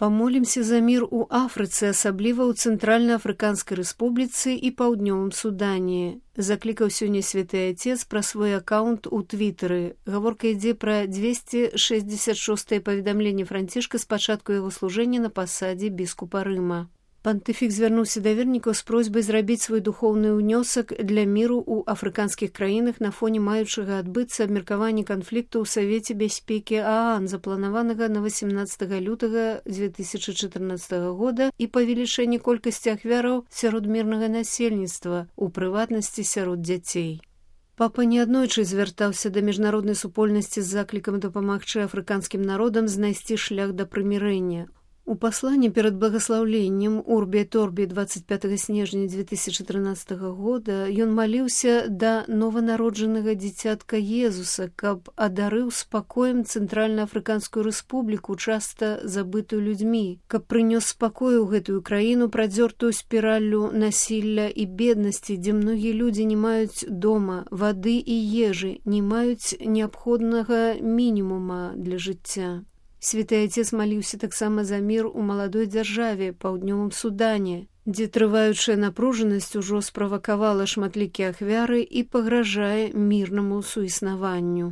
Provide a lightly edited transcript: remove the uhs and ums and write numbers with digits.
Памолімся за мір у Афрыцы, асабліва ў Цэнтральна-Афрыканскай Рэспубліцы і Паўднёвым Судане. Заклікаў сёння святы Отец пра свой аккаунт у Твітары. Гаворка ідзе пра 266-е паведамленне Францішка з пачатку яго служэння на пасадзе біскупа Рыма. Пантыфік звярнуўся да вернікаў з просьбай зрабіць свой духоўны ўнёсак для міру ў афрыканскіх краінах на фоне маючага адбыцца абмеркавання канфлікту ў Савеце бяспекі ААН, запланаванага на 18 лютага 2014 года і павелічэнне колькасці ахвяраў сярод мірнага насельніцтва, у прыватнасці сярод дзяцей. Папа неаднойчы звяртаўся да міжнароднай супольнасці з заклікам дапамагчы афрыканскім народам знайсці шлях да прымірэння. У пасланні перад благаслаўленнем Урбі Торбі 25 снежня 2013 года ён маліўся да нованароджанага дзіцятка Езуса, каб адарыў спакоем Цэнтральна-Афрыканскую Рэспубліку, часта забытую людзьмі, каб прынёс спакой у гэтую краіну, прадзёртую спіраллю насілля і беднасці, дзе многія людзі не маюць дома, вады і ежы, не маюць неабходнага мінімума для жыцця. Святы Отец маліўся таксама за мір у маладой дзяржаве, Паўднёвым Судане, дзе трываючая напружанасць ужо справакавала шматлікія ахвяры і пагражае мірнаму суіснаванню.